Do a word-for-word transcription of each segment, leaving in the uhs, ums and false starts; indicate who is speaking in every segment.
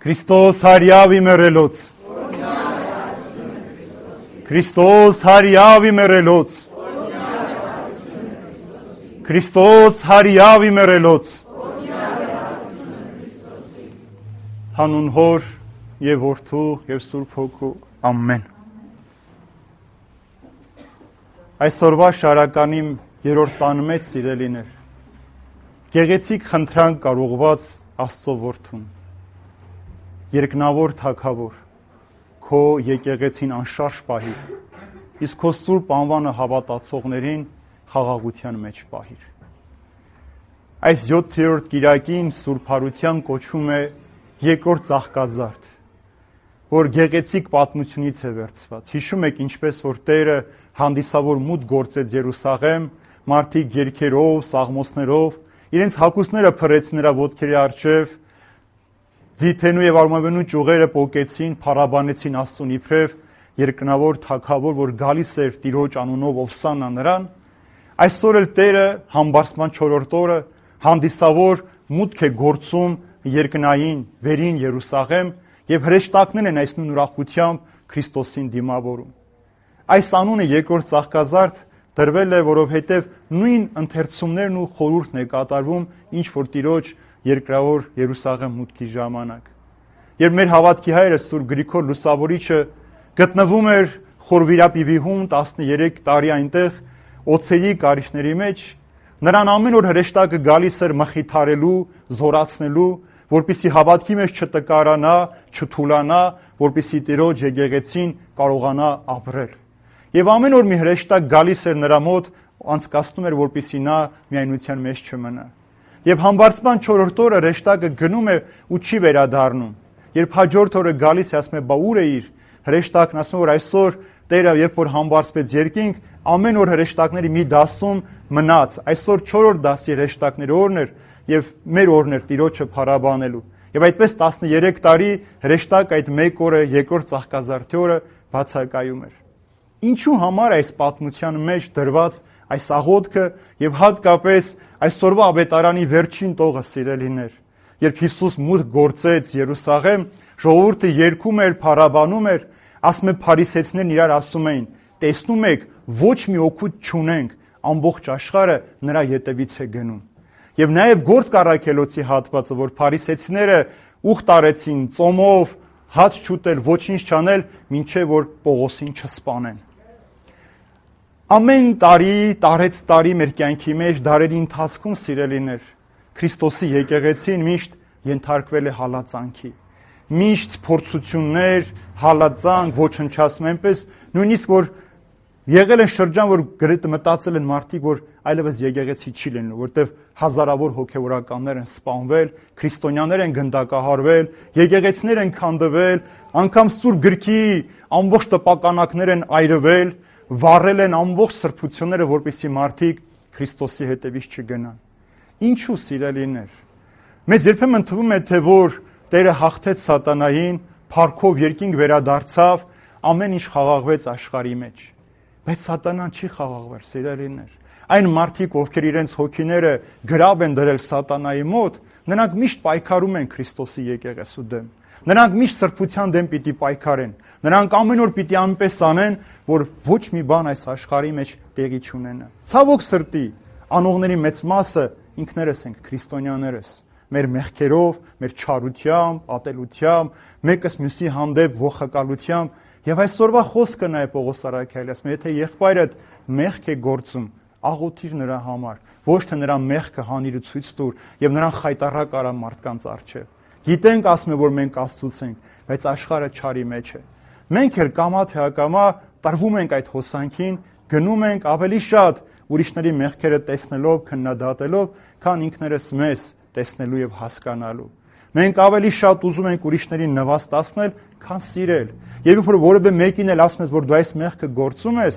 Speaker 1: Քրիստոս հարյավ իմերելոց Քրիստոս հարյավ իմերելոց Քրիստոս հարյավ իմերելոց Հանուն Հոր եւ Որդու եւ Սուրբ Հոգու ամեն Այսօրվա շարականի երրորդ տան մեջ սիրելիներ գեղեցիկ խնդրանք կարողված Աստծո որդուն երկնավոր թագավոր քո եկեղեցին անշարժ պահիր իսկ քո սուրբ անվանը հավատացողներին խաղաղության մեջ պահիր այս յոթերորդ կիրակին Սուրբ Հարության կոչվում է երկրորդ ծաղկազարդ որ գեղեցիկ պատմությունից է վերցված հիշում եք ինչպես որ Տերը հանդիսավոր մուտք գործեց Երուսաղեմ մարդիկ երգերով սաղմոսներով իրենց հագուստները փռեցին նրա ոտքերի առջև ձիթենու եւ արմավենու ճյուղերը պոկեցին փառաբանեցին Աստծուն իբրև երկնավոր թագավոր որ գալիս էր Տիրոջ անունով ովսանա նրան այսօր էլ Տերը համբարձման չորրորդ օրը հանդիսավոր մուտք է գործում երկնային վերին Երուսաղեմ եւ հրեշտակներն են այս նույն ուրախությամբ Քրիստոսին դիմավորում այս անունը երկրորդ ծաղկազարդ դրվել է որովհետեւ նույն ընթերցումներն ու խորհուրդն է կատարվում ինչ որ Տիրոջ երկրավոր Երուսաղեմ մուտքի ժամանակ երբ մեր հավատքի հայրը Սուրբ Գրիգոր Լուսավորիչը գտնվում էր Խորվիրապիվիհում տասներեք տարի այնտեղ օծերի կարիճների մեջ նրան ամեն օր հրեշտակը գալիս էր մխիթարելու զորացնելու որպեսզի հավատքի մեջ չտկարանա չթուլանա որպեսզի Տիրոջ եկեղեցին կարողանա ապրել եւ ամեն օր մի հրեշտակ գալիս էր նրա մոտ անցկացնում էր որպեսզի նա միայնության մեջ չմնա Եվ համբարձման չորրորդ օրը հրեշտակը գնում է ու չի վերադառնում։ Երբ հաջորդ օրը գալիս է ասում է՝ «Բա ուր էիր»։ Հրեշտակն ասում է, որ այսօր Տերը երբ որ համբարձվեց երկինք, ամեն օր հրեշտակների մի դասում մնաց։ Այսօր չորրորդ դասի հրեշտակների օրն էր եւ մեր օրն էր Տիրոջը փառաբանելու։ Եվ այդպես տասներեք տարի հրեշտակ այդ մեկ օրը երկրորդ ծաղկազարդի օրը բացակայում էր։ Ինչու համար այս պատմության մեջ դրված այս աղոթքը եւ հատկապես այսօրվա ավետարանի վերջին տողը սիրելիներ, երբ Հիսուս մուտք գործեց Երուսաղեմ, ժողովուրդը երգում էր, փառաբանում էր, ասում է փարիսեցիներն իրար ասում էին. տեսնում եք, ոչ մի օգուտ չունենք, ամբողջ աշխարհը նրա ետևից է գնում։ Եվ նաեւ Գործք առաքելոցի հատվածը, որ փարիսեցիները ուխտ արեցին ծոմով, հաց չուտել, ոչինչ չանել, մինչեւ որ Պողոսին չսպանեն։ Ամեն տարի, տարեց տարի մեր կյանքի մեջ դարերի ընթացքում սիրելիներ, Քրիստոսի եկեղեցին միշտ ենթարկվել է հալածանքի։ Միշտ փորձություններ, հալածանք, ոչնչացում, այնպես նույնիսկ որ եղել են շրջան, որ գրեթե մտածել են մարդիկ, որ այլևս եկեղեցի չի լինելու, որտեղ հազարավոր հոգևորականներ են սպանվել, քրիստոնյաներ են գնդակահարվել, եկեղեցիներ են քանդվել, անգամ Սուրբ Գրքի ամբողջ տպականակներ են այրվել, վառել են ամբողջ սրբությունները, որպեսզի մարդիկ Քրիստոսի հետևից չգնան։ Ինչու սիրելիներ։ Մեզ երբեմն թվում է, թե որ Տերը հաղթեց սատանային, փառքով երկինք վերադարձավ, ամեն ինչ խաղաղվեց աշխարհի մեջ։ Բայց սատանան չի խաղաղվել, սիրելիներ։ Այն մարդիկ, ովքեր իրենց հոգիները գրավ են դրել սատանայի մոտ, նրանք միշտ պայքարում են Քրիստոսի եկեղեցու դեմ։ Նրանք միշտ սրբության դեմ պիտի պայքարեն։ Նրանք ամեն օր պիտի այնպես անեն, որ ոչ մի բան այս աշխարհի մեջ տեղի չունենա։ Ցավոք սրտի, անողների մեծ մասը ինքներս ենք քրիստոնյաներս։ Մեր մեղքերով, մեր չարությամբ, ատելությամբ, մեկս մյուսի հանդեպ ողակալությամբ, եւ այսօրվա խոսքը նա է Պողոս առաքյալի, ասում է, եթե եղբայրդ մեղք է գործում, աղոթիր նրա համար, ոչ թե նրա մեղքը հանիր ու ցույց տուր եւ նրան խայտարակ արա մարդկանց առջեւ։ Գիտենք, ասում է, որ մենք Աստծուց ենք, բայց աշխարհը չարի մեջ է։ Մենք էլ կամա թե ակամա տրվում ենք այդ հոսանքին, գնում ենք ավելի շատ ուրիշների մեղքերը տեսնելով, քննադատելով, քան ինքներս մեզ տեսնելու եւ հասկանալու։ Մենք ավելի շատ ուզում ենք ուրիշներին նվաստացնել, քան սիրել։ Եվ երբ որ որևէ մեկին էլ ասում ես, որ դու այս մեղքը գործում ես,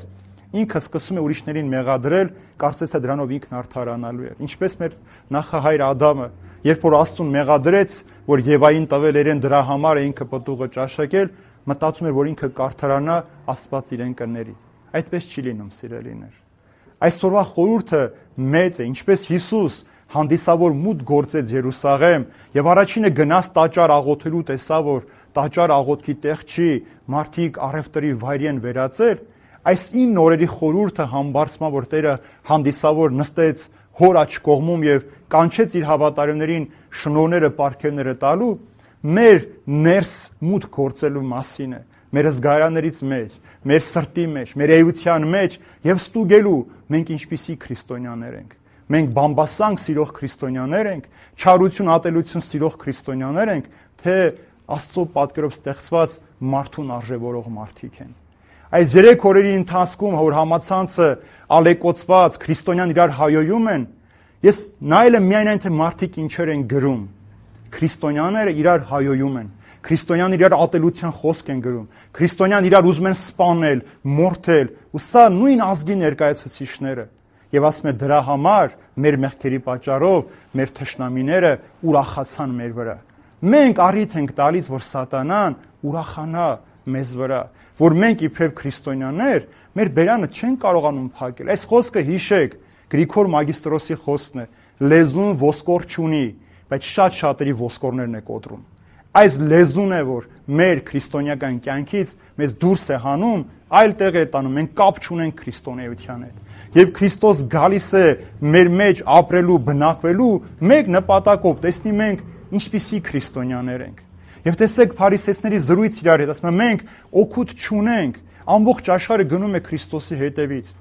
Speaker 1: ինքը սկսում է ուրիշներին մեղադրել, կարծես թե դրանով ինքն արդարանալու է։ Ինչպես մեր նախահայր Ադամը, երբ որ Աստծուն մեղադրեց, որ Եվային տվել իրեն դրա համար է ինքը պտուղը ճաշակել, մտածում էր, որ ինքը կարդարանա, Աստված իրեն կների։ Այդպես չի լինում, սիրելիներ։ Այսօրվա խորհուրդը մեծ է, ինչպես Հիսուս հանդիսավոր մուտք գործեց Երուսաղեմ եւ առաջինը գնաց տաճար աղոթելու, տեսավ որ տաճար աղոթքի տեղ չի, մարդիկ առևտրի վայրի են վերածել, այս ինը օրերի խորհուրդը համբարձմա, որ Տերը հանդիսավոր նստեց հոր աջ կողմում եւ կանչեց իր հավատարիմներին շնորհները, պարգևները տալու, մեր ներս մուտք գործելու մասին է, մեր զգայարաններից մեջ, մեր սրտի մեջ, մեր էության մեջ եւ ստուգելու մենք ինչպիսի քրիստոնյաներ ենք։ Մենք բամբասանք սիրող քրիստոնյաներ ենք, չարություն, ատելություն սիրող քրիստոնյաներ ենք, թե Աստծո պատկերով ստեղծված մարդուն արժևորող մարդիկ են։ Այս երեք օրերի ընթացքում, որ համացանցը ալեկոծված քրիստոնյան իրար հայոյում են, ես նայել եմ միայն այն, թե մարդիկ ինչեր են գրում։ Քրիստոնյաները իրար հայոյում են։ Քրիստոնյան իրար ատելության խոսք են գրում։ Քրիստոնյան իրար ուզում են սպանել, մորթել, ու սա նույն ազգի ներկայացուցիչները։ Եվ ասում է դրա համար մեր մեղքերի պատճառով մեր թշնամիները ուրախացան մեր վրա։ Մենք առիթ ենք տալիս, որ սատանան ուրախանա մեզ վրա, որ մենք իբրև քրիստոնյաներ մեր բերանը չեն կարողանում փակել։ Այս խոսքը հիշեք, Գրիգոր Մագիստրոսի խոսքն է, լեզուն ոսկոր չունի, բայց շատ շատերի ոսկորներն է կոտրում։ Այս լեզուն է, որ մեր քրիստոնեական կյանքից մեզ դուրս է հանում, այլ տեղ է տանում, մենք կապ չունենք քրիստոնեության հետ։ Եվ Քրիստոս գալիս է մեր մեջ ապրելու, բնակվելու մեկ նպատակով, տեսնի մենք ինչպիսի քրիստոնյաներ ենք։ Եվ տեսեք փարիսեցիների զրույց իրար հետ, ասում են մենք օգուտ չունենք, ամբողջ աշխարհը գնում է Քրիստոսի հետևից։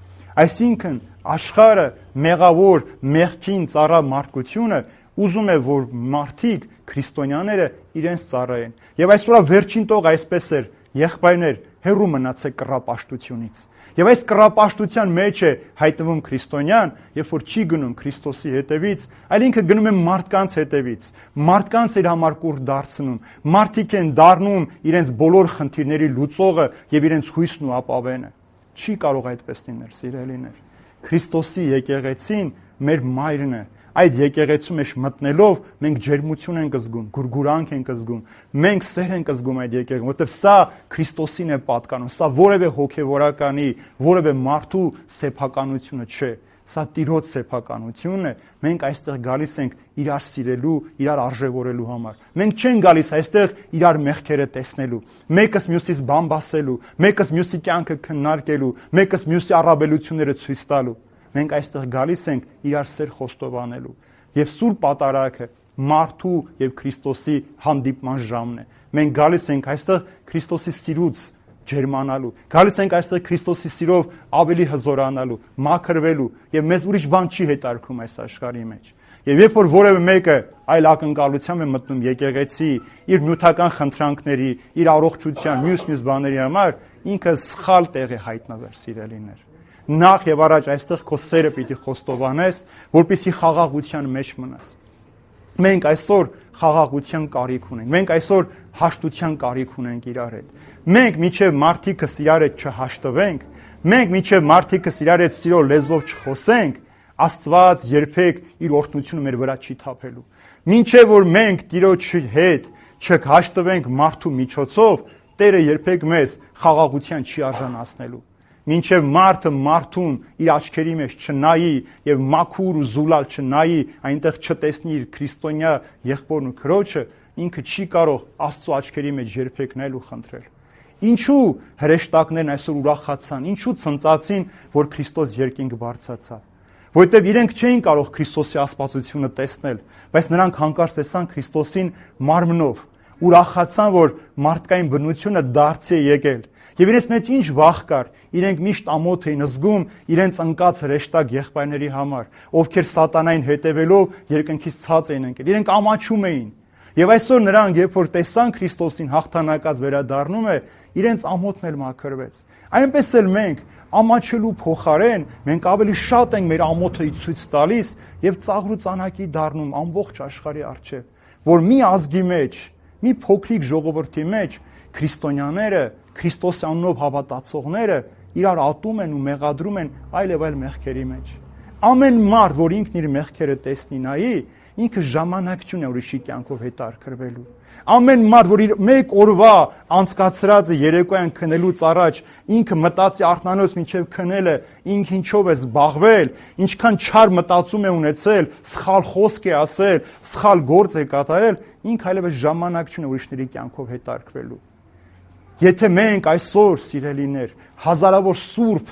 Speaker 1: Այսինքն աշխարհը մեղավոր, մեղքին ծառա մարդկությունը ուզում է, որ մարդիկ, քրիստոնյաները իրենց ծառայեն։ Եվ այսօր վերջին տող այսպես էր, եղբայրներ, հեռու մնացեք կռապաշտությունից։ Եվ այս կռապաշտության մեջ է հայտնվում քրիստոնյան, երբ որ չի գնում Քրիստոսի հետևից, այլ ինքը գնում է մարդկանց հետևից։ Մարդկանց իր համար կուր դարձնում։ Մարդիկ են դառնում իրենց բոլոր խնդիրների լուծողը եւ իրենց հույսն ու ապավենը։ Չի կարող այդպես լինել, սիրելիներ։ Քրիստոսի եկեղեցին մեր մայրն է։ Այդ եկեղեցու մեջ մտնելով մենք ջերմություն ենք զգում, գուրգուրանք ենք զգում, մենք սեր ենք զգում այդ եկեղեցին, որովհետև սա Քրիստոսին է պատկանում, սա որևէ հոգևորականի, որևէ մարդու սեփականությունը չէ, սա Տիրոջ սեփականությունն է։ Մենք այստեղ գալիս ենք իրար սիրելու, իրար արժևորելու համար։ Մենք չենք գալիս այստեղ իրար մեղքերը տեսնելու, մեկս մյուսից բամբասելու, մեկս մյուսի կյանքը քննարկելու, մեկս մյուսի առավելությունները ցույց տալու։ Մենք այստեղ գալիս ենք իրար սեր խոստովանելու։ Եվ Սուրբ Պատարագը մարդու եւ Քրիստոսի հանդիպման ժամն է։ Մենք գալիս ենք այստեղ Քրիստոսի սիրուց ջերմանալու։ Գալիս ենք այստեղ Քրիստոսի սիրով ավելի հզորանալու, մաքրվելու եւ մեզ ուրիշ բան չի հետարկում այս աշխարհի մեջ։ Եվ երբ որ որևէ մեկը այլ ակնկալությամբ է մտնում եկեղեցի, իր նյութական խնդրանքների, իր առողջության, մյուս-մյուս բաների համար, ինքը սխալ տեղ է հայտնվել, սիրելիներ։ Նախ եւ առաջ այստեղ քո սերը պիտի խոստովանես, որպեսզի խաղաղության մեջ մնաս։ Մենք այսօր խաղաղության կարիք ունենք։ Մենք այսօր հաշտության կարիք ունենք իրար հետ։ Մենք միջև մարդիկս իրար հետ չհաշտվենք, մենք միջև մարդիկս իրար հետ սիրո լեզվով չխոսենք, Աստված երբեք իր օրհնությունը մեր վրա չի թափելու։ Մինչև որ մենք Տիրոջ հետ չհաշտվենք մարդու միջոցով, Տերը երբեք մեզ խաղաղության չի արժանացնելու։ Մինչև մարդը մարդուն իր աչքերի մեջ չնայի եւ մաքուր ու զուլալ չնայի, այնտեղ չտեսնի իր քրիստոնյա եղբորն ու քրոջը, ինքը չի կարող Աստծո աչքերի մեջ երբեք նայել ու խնդրել։ Ինչու հրեշտակներն այսօր ուրախացան, ինչու ցնծացին, որ Քրիստոս երկինք բարձրացավ։ Որտեւ իրենք չէին կարող Քրիստոսի ասպատությունը տեսնել, բայց նրանք հանկարծ տեսան Քրիստոսին մարմնով, ուրախացան, որ մարդկային բնությունը դարձի է եկել։ Եվ իրենց մեջ ինչ վախ կար, իրենք միշտ ամոթ էին զգում իրենց ընկած հրեշտակ եղբայրների համար, ովքեր սատանային հետևելով երկնքից ցած էին ընկել։ Իրենք ամաչում էին։ Եվ այսօր նրանք, երբ որ տեսան Քրիստոսին հաղթանակած վերադառնում է, իրենց ամոթն էլ մաքրվեց։ Այնպես էլ մենք ամաչելու փոխարեն մենք ավելի շատ ենք մեր ամոթը ցույց տալիս եւ ծաղր ու ծանակի դառնում ամբողջ աշխարհի առջեւ, որ մի ազգի մեջ, մի փոքրիկ ժողովրդի մեջ քրիստոնյաները, Քրիստոսի անունով հավատացողները իրար ատում են ու մեղադրում են այլ եւ այլ մեղքերի մեջ։ Ամեն մարդ, որ ինքն իր մեղքերը տեսնի նայի, ինքը ժամանակ չունի ուրիշի կյանքով հետաքրքրվելու։ Ամեն մարդ, որ իր մեկ օրվա անցկացրածը երեկոյան քնելուց առաջ ինքը մտածի արթնանոց մինչև քնելը, ինքը ինչով է զբաղվել, ինչքան չար մտածում է ունեցել, սխալ խոսք է ասել, սխալ գործ է կատարել, ինքը այլևս ժամանակ չունի ուրիշների կյանքով հետաքրքրվելու։ Եթե մենք այսօր, սիրելիներ, հազարավոր սուրբ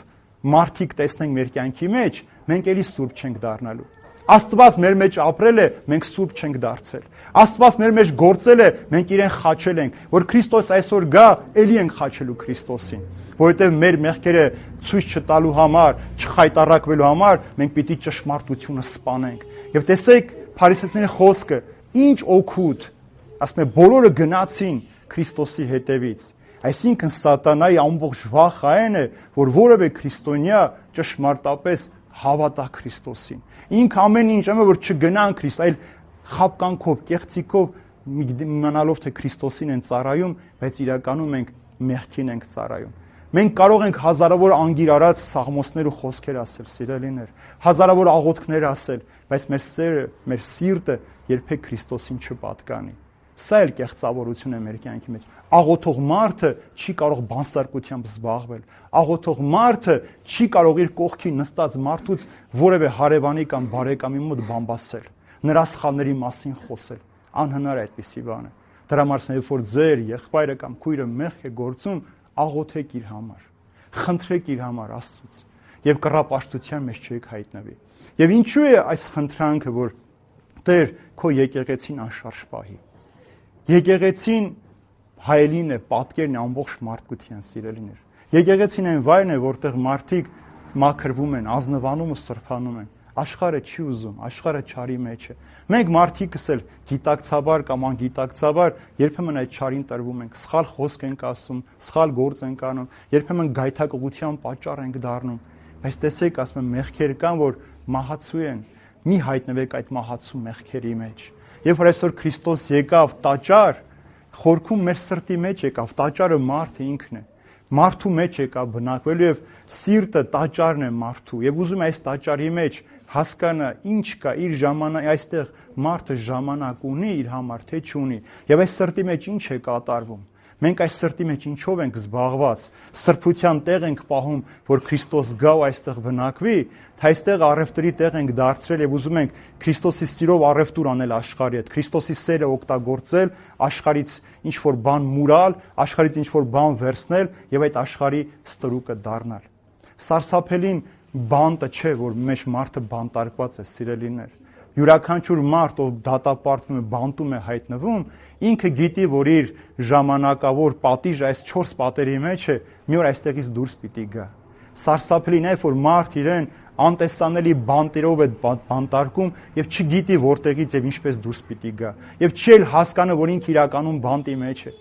Speaker 1: մարդիկ տեսնենք մեր կյանքի մեջ, մենք էլի սուրբ չենք դառնալու։ Աստված մեր մեջ ապրել է, մենք սուրբ չենք դարձել։ Աստված մեր մեջ գործել է, մենք իրեն խաչել ենք, որ Քրիստոս այսօր գա, էլի ենք խաչելու Քրիստոսին, որովհետև մեր մեղքերը ցույց չտալու համար, չխայտարակվելու համար մենք պիտի ճշմարտությունը սպանենք։ Եվ տեսեք Փարիսեցիների խոսքը, ինչ օգուտ, ասում է, բոլորը գնացին Քրիստոսի հետևից։ Այսինքն սատանայի ամբողջ վախը այն է, որ որևէ քրիստոնյա ճշմարտապես հավատա Քրիստոսին։ Ինքը ամեն ինչ անում է, որ չգնան Քրիստոս, այլ խաբկանքով, կեղծիկով իմանալով թե Քրիստոսին են ծառայում, բայց իրականում մենք մեղքին ենք ծառայում։ Մենք կարող ենք հազարավոր անգիր արած սաղմոսներ ու խոսքեր ասել, սիրելիներ, հազարավոր աղոթքներ ասել, բայց մեր սերը, մեր սիրտը երբեք Քրիստոսին չպատկանի։ Սա էլ կեղծավորություն է մեր կյանքի մեջ։ Աղոթող մարդը չի կարող բանսարկությամբ զբաղվել։ Աղոթող մարդը չի կարող իր կողքին նստած մարդուց որևէ հարևանի կամ բարեկամի մոտ բամբասել, նրա սխալների մասին խոսել։ Անհնար է այդպիսի բանը։ Դրա համար երբ որ ձեր եղբայրը կամ քույրը մեղք է գործում, աղոթեք իր համար, խնդրեք իր համար Աստծուց եւ կռապաշտության մեջ չեք հայտնվի։ Եվ ինչու է այս խնդրանքը, որ Տեր քո եկեղեցին անշարժ պահի։ Եկեղեցին հայելին է, պատկերն է ամբողջ մարդկության, սիրելիներ։ Եկեղեցին այն վայրն է, որտեղ մարդիկ մաքրվում են, ազնվանում ու սրբանում են։ Աշխարհը չի ուզում, աշխարհը չարի մեջ է։ Մենք մարդիկս էլ գիտակցաբար կամ անգիտակցաբար երբեմն այդ չարին տրվում ենք, սխալ խոսք ենք ասում, սխալ գործ ենք անում, երբեմն գայթակղության պատճառ ենք դառնում։ Բայց տեսեք, ասում եմ, մեղքեր կան, որ մահացու են։ Մի հայտնվեք այդ մահացու մեղքերի մեջ։ Երբ որ այսօր Քրիստոս եկավ տաճար, խորքում մեր սրտի մեջ եկավ, տաճարը մարդը ինքն է։ Մարդու մեջ եկավ բնակվելու եւ սիրտը տաճարն է մարդու։ Եվ ուզում է այս տաճարի մեջ հասկանա ինչ կա իր ժամանակ, այստեղ մարդը ժամանակ ունի իր համար, թե չունի։ Եվ այս սրտի մեջ ինչ է կատարվում։ Մենք այս սրտի մեջ ինչով ենք զբաղված, սրբության տեղ ենք պահում, որ Քրիստոս գա ու այստեղ բնակվի, թե այստեղ առևտրի տեղ ենք դարձրել եւ ուզում ենք Քրիստոսի սիրով առևտուր անել աշխարհի հետ, Քրիստոսի սերը օգտագործել, աշխարհից ինչ որ բան մուրալ, աշխարհից ինչ որ բան վերցնել եւ այդ աշխարհի ստրուկը դառնալ։ Սարսափելին բանտը չէ, որ մեջ մարդը բանտարկված է, սիրելիներ։ Յուրաքանչյուր մարդ, ով դատապարտվում է, բանտում է հայտնվում, ինքը գիտի, որ իր ժամանակավոր պատիժը այս չորս պատերի մեջ է, մի օր այստեղից դուրս պիտի գա։ Սարսափելին է, որ մարդ իրեն անտեսանելի բանտերով է բանտարկում եւ չգիտի որտեղից եւ ինչպես դուրս պիտի գա։ Եվ չի էլ հասկանում, որ ինքը իրականում բանտի մեջ է։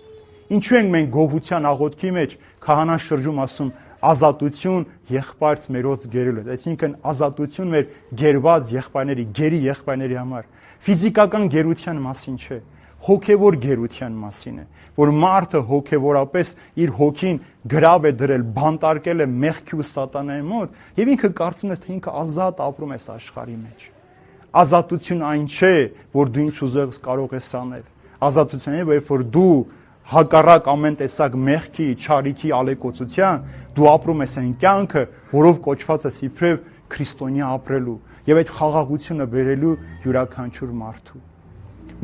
Speaker 1: Ինչու ենք մենք գոհության աղոթքի մեջ քահանան շրջում ասում ազատություն եղբայրց մերոց գերելու, այսինքն ազատություն մեր գերված եղբայրների, գերի եղբայրների համար։ Ֆիզիկական գերության մասին չէ, հոգևոր գերության մասին է, որ մարդը հոգևորապես իր հոգին գրավ է դրել, բանտարկել է մեղքի ու սատանայի մոտ, եւ ինքը կարծում է, թե ինքը ազատ ապրում է այս աշխարհի մեջ։ Ազատություն այն չէ, որ դու ինչ ուզես կարող ես անել։ Ազատությունն է, որ դու հակառակ ամեն տեսակ մեղքի, չարիքի, ալեկոծության, դու ապրում ես այն կյանքը, որով կոչված ես իբրև քրիստոնյա ապրելու եւ այդ խաղաղությունը բերելու յուրաքանչյուր մարդու։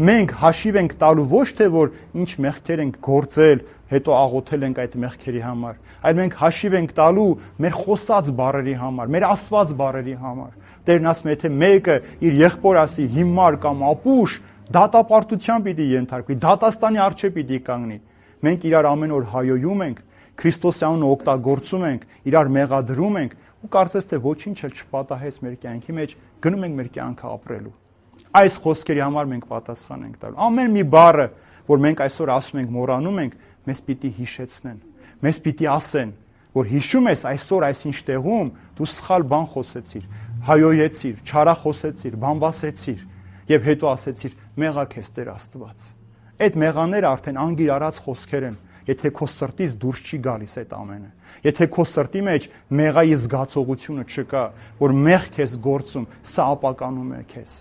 Speaker 1: Մենք հաշիվ ենք տալու ոչ թե որ ինչ մեղքեր ենք գործել, հետո աղոթել ենք այդ մեղքերի համար, այլ մենք հաշիվ ենք տալու մեր խոսած բառերի համար, մեր ասված բառերի համար։ Տերն ասում է, թե մեկը իր եղբոր ասի հիմար կամ ապուշ, դատապարտության պիտի ենթարկվի, դատաստանի առջև պիտի կանգնի։ Մենք իրար ամեն օր հայոյում ենք, Քրիստոսի անունը օգտագործում ենք, իրար մեղադրում ենք ու կարծես թե ոչինչ էլ չպատահեց մեր կյանքի մեջ, գնում ենք մեր կյանքը ապրելու։ Այս խոսքերի համար մենք պատասխան ենք տալու։ Ամեն մի բառը, որ մենք այսօր ասում ենք, մոռանում ենք, մեզ պիտի հիշեցնեն, մեզ պիտի ասեն, որ հիշում ես այսօր այսինչ տեղում դու սխալ բան խոսեցիր, հայոյեցիր, չարախոսեցիր, բամբասեցիր եւ հետո ասեցիր մեղա քեզ Տեր Աստված։ Այդ մեղաները արդեն անգիր արած խոսքեր են, եթե քո սրտից դուրս չի գալիս այդ ամենը։ Եթե քո սրտի մեջ մեղայի զգացողությունը չկա, որ մեղ քեզ գործում, սա ապականում է քեզ։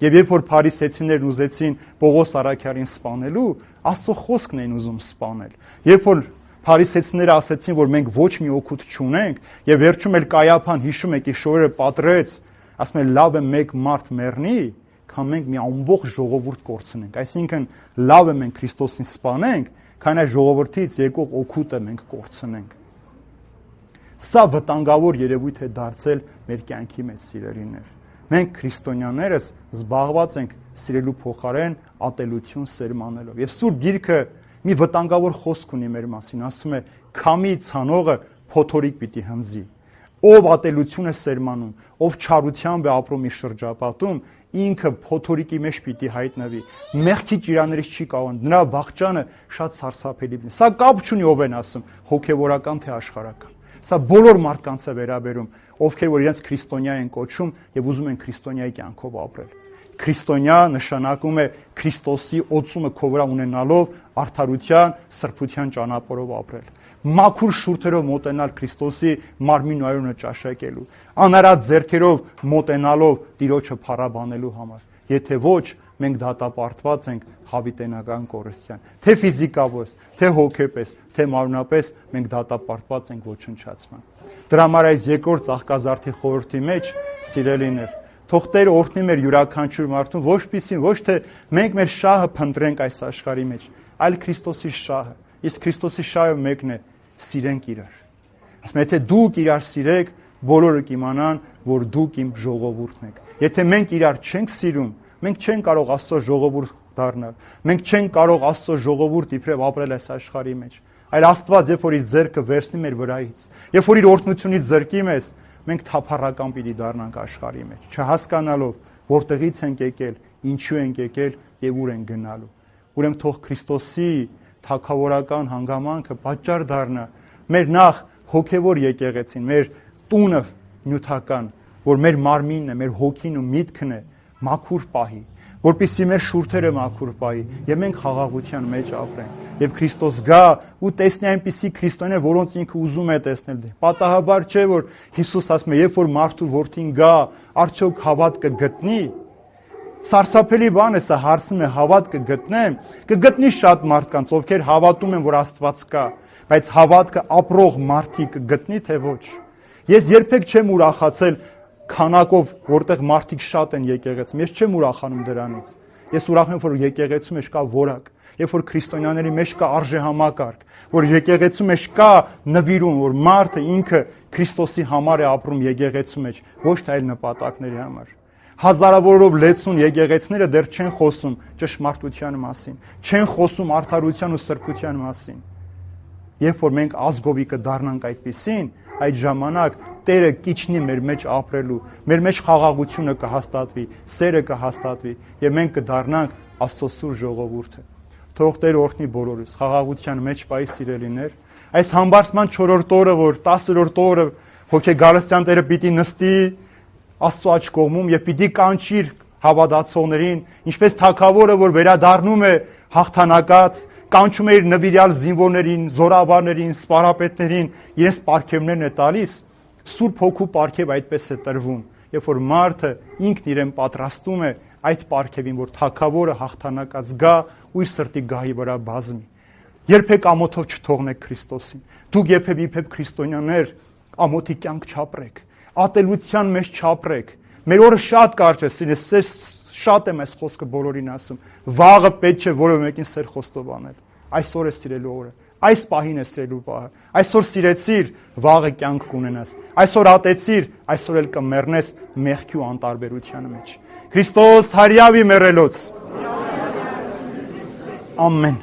Speaker 1: Եվ երբ որ փարիսեցիներն ուզեցին Պողոս առաքյալին սպանելու, Աստծո խոսքն էին ուզում սպանել։ Երբ որ փարիսեցիները ասեցին, որ մենք ոչ մի օգուտ չունենք, եւ վերջում էլ Կայափան, հիշում եք, իր շորերը պատրեց, ասում է լավ է մեկ մարդ մեռնի, քան մենք մի ամբողջ ժողովուրդ կորցնենք։ Այսինքն լավ է մենք Քրիստոսին սպանենք, քան այդ ժողովրդից եկող օգուտը մենք կորցնենք։ Սա վտանգավոր երևույթ է դարձել մեր կյանքի մեջ, սիրելիներ։ Մենք քրիստոնյաներս զբաղված ենք սիրելու փոխարեն ատելություն սերմանելով։ Եվ Սուրբ Գիրքը մի վտանգավոր խոսք ունի մեր մասին, ասում է. «Քամի ցանողը փոթորիկ պիտի հնձի»։ Ով ատելություն է սերմանում, ով չարությամբ է ապրում իր շրջապատում, ինքը փոթորիկի մեջ պիտի հայտնվի։ Մեղքի ճիրաներից չի կարող, նրա վախճանը շատ սարսափելի է։ Սա կապ չունի ով են ասում, հոգևորական թե աշխարհական։ Սա բոլոր մարդկանց է վերաբերում, ովքեր որ իրենց քրիստոնյա են կոչում եւ ուզում են քրիստոնյայի կյանքով ապրել։ Քրիստոնյա նշանակում է Քրիստոսի օծումը քո վրա ունենալով արդարության, սրբության ճանապարհով ապրել։ Մաքուր շուրթերով մոտենալ Քրիստոսի մարմին ու արյունը ճաշակելու, անարատ ձեռքերով մոտենալով Տիրոջը փառաբանելու համար։ Եթե ոչ, մենք դատապարտված ենք հավիտենական կորստյան, թե ֆիզիկավոր, թե հոգեպես, թե մարմնապես մենք դատապարտված ենք ոչնչացման։ Դրա համար այս երկրորդ ծաղկազարդի խորհրդի մեջ, սիրելիներ, թող Տերը օրհնի մեր յուրաքանչյուր մարդուն, ոչ պիսին, ոչ թե մենք մեր շահը փնտրենք այս աշխարհի մեջ, այլ Քրիստոսի շահը։ Իսկ Քրիստոսի շահը մեկն է՝ սիրենք իրար։ Ասում եմ, եթե դուք իրար սիրեք, բոլորը կիմանան, որ դուք իմ ժողովուրդն եք։ Եթե մենք իրար չենք սիրում, մենք չենք կարող Աստծո ժողովուրդ դառնալ։ Մենք չենք կարող Աստծո ժողովուրդ իբրև ապրել այս աշխարհի մեջ։ Այլ Աստված, երբ որ իր ձեռքը վերցնի մեր վրայից, երբ որ իր օրհնությունից զրկի մեզ, մենք թափառական պիտի դառնանք աշխարհի մեջ, չհասկանալով որտեղից ենք եկել, ինչու ենք եկել եւ ուր ենք գնալու։ Ուրեմն թող Քրիստոսի թագավորական հանգամանքը պատճառ դառնա մեր նախ հոգևոր եկեղեցին, մեր տունը նյութական, որ մեր մարմինն է, մեր հոգին ու միտքն է մաքուր պահի, որպեսզի մեր շուրթերը մաքուր պահի եւ մենք խաղաղության մեջ ապրենք եւ Քրիստոս գա ու տեսնի այնպիսի քրիստոնյաներ, որոնց ինքը ուզում է տեսնել։ Պատահաբար չէ, որ Հիսուս ասում է, երբ որ մարդու որդին գա, արդյոք հավատ կգտնի։ Սարսափելի բան է սա, հարցնում է հավատ կգտնեմ, կգտնի շատ մարդկանց, ովքեր հավատում են, որ Աստված կա, բայց հավատքը ապրող մարդիկ կգտնի թե ոչ։ Ես երբեք չեմ ուրախացել քանակով, որտեղ մարդիկ շատ են եկեղեցում, ես չեմ ուրախանում դրանից։ Ես ուրախ եմ, որ եկեղեցու մեջ կա որակ, երբ որ քրիստոնյաների մեջ կա արժեհամակարգ, որ եկեղեցու մեջ կա նվիրում, որ մարդը ինքը Քրիստոսի համար է ապրում եկեղեցու մեջ, ոչ թե այլ նպատակների համար։ Հազարավորով լեցուն եկեղեցիները դեռ չեն խոսում ճշմարտության մասին, չեն խոսում արդարության ու սրբության մասին։ Երբ որ մենք ազգովի կդառնանք այդպիսին, այդ ժամանակ Տերը կիջնի մեր մեջ ապրելու, մեր մեջ խաղաղությունը կհաստատվի, սերը կհաստատվի եւ մենք կդառնանք Աստծո սուրբ ժողովուրդը։ Թող Տերը օրհնի բոլորս, խաղաղության մեջ պահի, սիրելիներ։ Այս համբարձման չորրորդ օրը, որ տասերորդ օրը հոգեգարստյան Տերը պիտի նստի Աստծո աջ կողմում եւ պիտի կանչիր հավատացողներին, ինչպես թագավորը, որ վերադառնում է հաղթանակած, կանչում է իր նվիրյալ զինվորներին, զորավարներին, սպարապետներին, իրենց պարգևներն է տալիս, Սուրբ Հոգու պարգև այդպես է տրվում, երբ որ մարդը ինքն իրեն պատրաստում է այդ պարգևին, որ թագավորը հաղթանակած գա ու իր սրտի գահի վրա բազմի։ Երբեք ամոթով չթողնեք Քրիստոսին։ Դուք երբեք իբրև քրիստոնյաներ ամոթի կյանք չապրեք, ատելության մեջ չապրեք։ Մեր օրը շատ կարճ է, սիրես, շատ եմ այս խոսքը բոլորին ասում։ Վաղը պետք չէ որևէ մեկին սեր խոստովանել։ Այսօր է սիրելու օրը, այս պահին է սիրելու պահը։ Այսօր սիրեցիր, վաղը կյանք կունենաս։ Այսօր ատեցիր, այսօր էլ կմեռնես մեղքի ու անտարբերության մեջ։ Քրիստոս հարյավի մեռելոց։ Ամեն։